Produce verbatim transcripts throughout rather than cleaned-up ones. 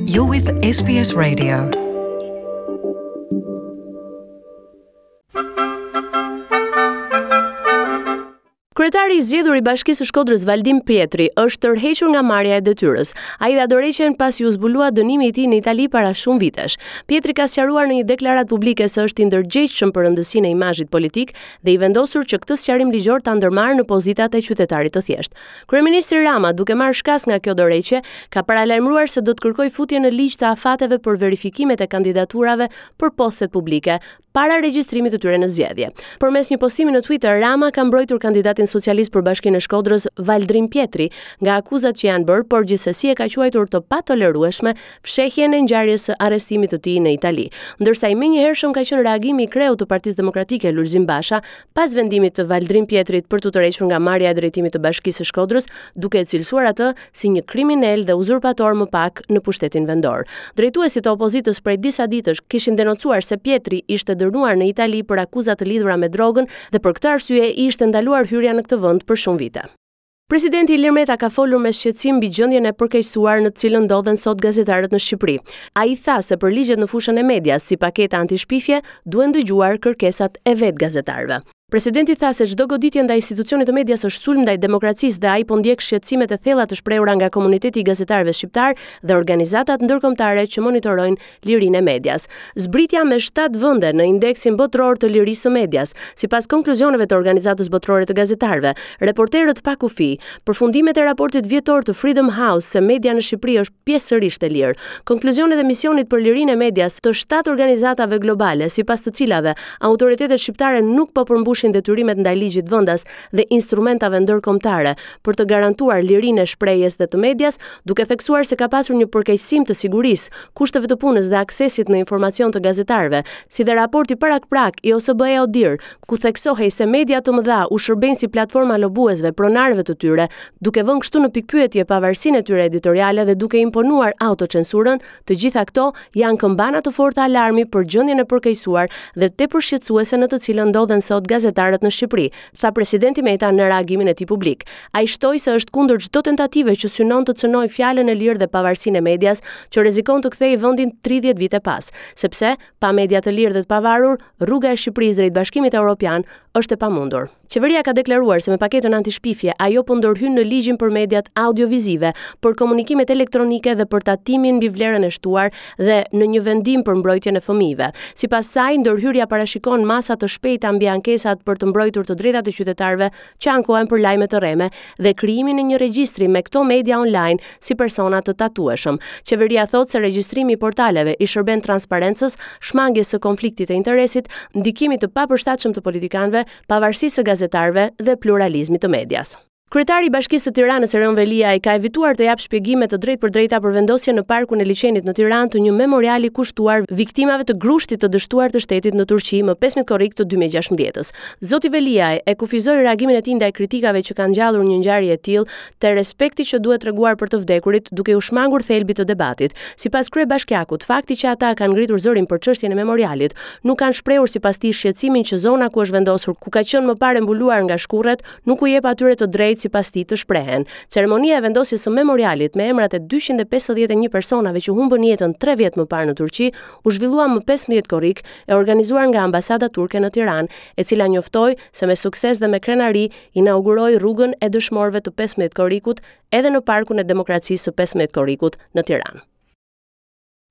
You're with S B S Radio. Kryetari i zgjedhur i Bashkisë së Shkodrës, Valdrin Pjetri, është tërhequr nga marrja e detyrës. Ai dha dorëheqjen pasi u zbulua dënimi i tij në Itali para shumë vitesh. Pjetri ka sqaruar në një deklaratë publike se është i ndërgjegjshëm për rëndësinë e imazhit politik dhe i vendosur që këtë sqarim ligjor ta ndërmarrë në pozitat e qytetarit të thjeshtë. Kryeministri Rama, duke marrë shkas nga kjo dorëheqje, ka paralajmëruar se do të kërkojë futjen në ligj të afateve për verifikimet e kandidaturave për postet publike para regjistrimit të tyre në zgjedhje. Përmes një postimi në Twitter, Rama ka mbrojtur kandidatin socialist për Bashkinë e Shkodrës, Valdrin Pjetri, nga akuzat që janë bërë, por gjithsesi e ka quajtur të patolerueshme fshehjen e ngjarjes së arrestimit të tij në Itali. Ndërsa i menjëhershëm ka qenë reagimi i kreut të Partisë Demokratike, Lulzim Basha, pas vendimit të Valdrin Pjetrit për t'u tërhequr nga marrja e drejtimit të Bashkisë së Shkodrës, duke e cilësuar atë si një kriminal dhe uzurpator më pak në pushtetin vendor. Drejtuesit e opozitës prej disa ditësh kishin denoncuar se Pjetri ishte dënuar në Itali për akuza të lidhura me drogën dhe për këtë arsye i ishte ndaluar hyrja në këtë vend për shumë vite. Presidenti Ilir Meta ka folur me shqetësim mbi gjendjen e përkeqësuar në të cilën ndodhen sot gazetarët në Shqipëri. Ai tha se për ligjet në fushën e medias, si paketa antishpifje, duhen dëgjuar kërkesat e vetë gazetarëve. Presidenti tha se çdo goditje ndaj institucionit të medias është sulm ndaj demokracisë dhe ai po ndjek shqetësimet e thella të shprehura nga komuniteti i gazetarëve shqiptar dhe organizatat ndërkombëtare që monitorojnë lirinë e medias. Zbritja me shtatë vende në indeksin botëror të lirisë së medias, sipas konkluzioneve të Organizatës Botërore të Gazetarëve, Reporterët pa Kufi, përfundimet e raportit vjetor të Freedom House se media në Shqipëri është pjesërisht e lirë, konkluzionet e misionit për lirinë e medias të shtatë organizatave globale, sipas të cilave autoritetet shqiptare nuk po përmbushin detyrimet ndaj ligjit vendas dhe instrumentave ndërkombëtare për të garantuar lirinë e shprehjes dhe të medias, duke theksuar se ka pasur një përkeqësim të sigurisë, kushteve të punës dhe aksesit në informacion të gazetarëve, si dhe raporti parakprak i O S B E O D I H R, ku theksohej se media të mëdha u shërbejnë si platforma lobuesve, pronarëve të tyre, duke vënë kështu në pikpyetje pavarësinë e tyre editoriale dhe duke imponuar autocensurën, të gjitha këto janë këmbana të forta alarmi për gjendjen e përkeqësuar dhe tepër shqetësuese në të cilën ndodhen sot gazetarët në Shqipëri, tha presidenti Meta në reagimin e tij publik. Ai shtoi se është kundër çdo tentative që synon të cënojë fjalën e lirë dhe pavarësinë e medias, që rrezikon të kthejë vendin tridhjetë vite pas, sepse pa media të lirë dhe të pavarur, rruga e Shqipërisë drejt Bashkimit Evropian është e pamundur. Qeveria ka deklaruar se me paketën antishpifje ajo po ndërhyn në ligjin për mediat audiovizive, për komunikimet elektronike dhe për tatimin mbi vlerën e shtuar dhe në një vendim për mbrojtjen e fëmijëve. Sipas saj, ndërhyrja parashikon masa të shpejta mbi ankesat për të mbrojtur të drejtat e qytetarëve që ankohen për lajme të rreme dhe krijimin e një regjistri me këto media online si persona të tatueshëm. Qeveria thotë se regjistrimi i portaleve i shërben transparencës, shmangjes së konfliktit të interesit, ndikimit të papërshtatshëm të politikanëve, pavarësisë së gazetarëve dhe pluralizmit të medias. Kryetari i Bashkisë së Tiranës, Erion Veliaj, ka evituar të japë shpjegime të drejtpërdrejta për vendosjen në parkun e liqenit në Tiranë të një memoriali kushtuar viktimave të grushtit të dështuar të shtetit në Turqi më pesëmbëdhjetë korrik të dy mijë e gjashtëmbëdhjetës. Zoti Veliaj e kufizoi reagimin e tij ndaj kritikave që kanë ngjallur një ngjarje e tillë te respekti që duhet treguar për të vdekurit, duke u shmangur thelbit të debatit. Sipas kryebashkiakut, fakti që ata kanë ngritur zërin për çështjen e memorialit, nuk kanë shprehur sipas tij shqetësimin që zona ku është vendosur, ku ka qenë më parë mbuluar nga shkurret, nuk u jep atyre të drejtë sipas tij të shprehen. Ceremonia e vendosjes së memorialit me emrat e dyqind e pesëdhjetë e një personave që humbën jetën tre vjet më parë në Turqi u zhvillua më pesëmbëdhjetë korrik, e organizuar nga ambasada turke në Tiranë, e cila njoftoi se me sukses dhe me krenari inauguroi rrugën e dëshmorëve të pesëmbëdhjetë korrikut edhe në Parkun e Demokracisë së pesëmbëdhjetë korrikut në Tiranë.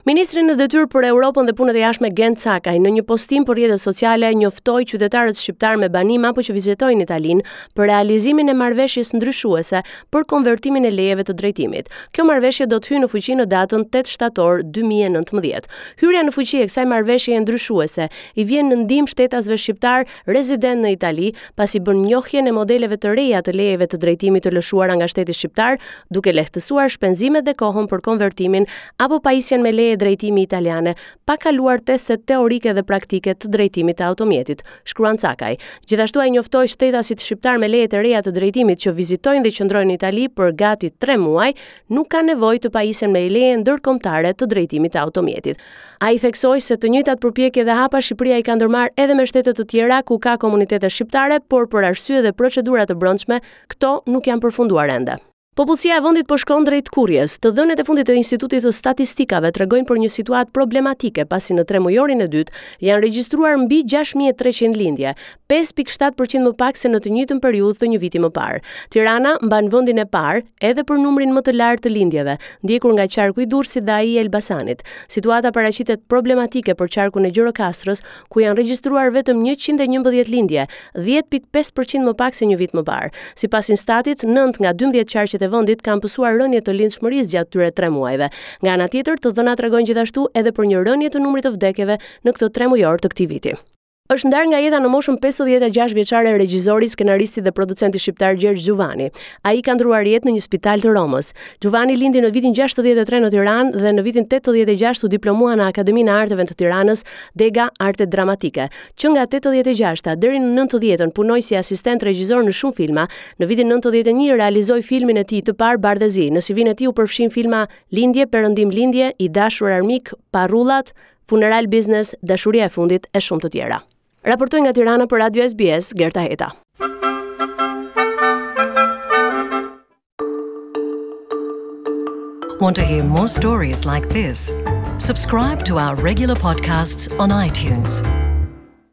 Ministri në detyrë për Europën dhe Punët e Jashtme, Gent Cakaj, në një postim për rrjetet sociale njoftoi qytetarët shqiptar me banim apo që vizitojnë Italinë për realizimin e marrëveshjes ndryshuese për konvertimin e lejeve të drejtimit. Kjo marrëveshje do të hyjë në fuqi në datën tetë shtator dy mijë e nëntëmbëdhjetë. Hyrja në fuqi e kësaj marrëveshjeje ndryshuese i vjen në ndihmë shtetasve shqiptar rezident në Itali, pasi bën njohjen e modeleve të reja të lejeve të drejtimit të lëshuara nga shteti shqiptar, duke lehtësuar shpenzimet dhe kohën për konvertimin apo pajisjen me leje drejtimi italiane, pa kaluar testet teorike dhe praktike të drejtimit të automjetit, shkruan Cakaj. Gjithashtu ai njoftoi shtetasit shqiptar me leje të reja të drejtimit që vizitojnë dhe qëndrojnë në Itali për gati tre muaj, nuk kanë nevojë të pajisen me leje ndërkombëtare të drejtimit të automjetit. Ai theksoi se të njëjtat përpjekje dhe hapa Shqipëria i ka ndërmarrë edhe me shtete të tjera ku ka komunitete shqiptare, por për arsye dhe procedura të brendshme, këto nuk janë përfunduar ende. Popullsia e vendit po shkon drejt tkurrjes. Të dhënat e fundit të Institutit të Statistikave tregojnë për një situatë problematike, pasi në tremujorin e dytë janë regjistruar mbi gjashtë mijë e treqind lindje, pesë pikë shtatë për qind më pak se në të njëjtën periudhë të një viti më parë. Tirana mban vendin e parë edhe për numrin më të lartë të lindjeve, ndjekur nga qarku i Durrësit dhe ai i Elbasanit. Situata paraqitet problematike për qarkun e Gjirokastrës, ku janë regjistruar vetëm njëqind e njëmbëdhjetë lindje, dhjetë pikë pesë për qind më pak se një vit më parë. Sipas Instatit, nëntë nga dymbëdhjetë qarqet e vendit kanë pësuar rënie të lindshmërisë gjatë këtyre tre muajve. Nga ana tjetër, të dhënat tregojnë gjithashtu edhe për një rënie të numrit të vdekjeve në këtë tremujor të këtij viti. Është ndarë nga jeta në moshën pesëdhjetë e gjashtë vjeçare regjizori, skenaristi dhe producenti shqiptar Gjergj Xhuvani. Ai ka ndërruar jetë në një spital të Romës. Xhuvani lindi në vitin gjashtëdhjetë e tre në Tiranë dhe në vitin tetëdhjetë e gjashtë u diplomua në Akademinë e Arteve të Tiranës, dega Arte Dramatike. Që nga tetëdhjetë e gjashta deri në nëntëdhjetën punoi si asistent regjizor në shumë filma. Në vitin nëntëdhjetë e një realizoi filmin e tij të parë Bardhezi. Në C V-në e tij u përfshin filma Lindje, Perëndim Lindje, I dashur armik, Parullat, Funeral Business, Dashuria e fundit e shumë të tjera. Raportoi nga Tirana për Radio S B S, Gerta Heta. Want to hear more stories like this? Subscribe to our regular podcasts on iTunes.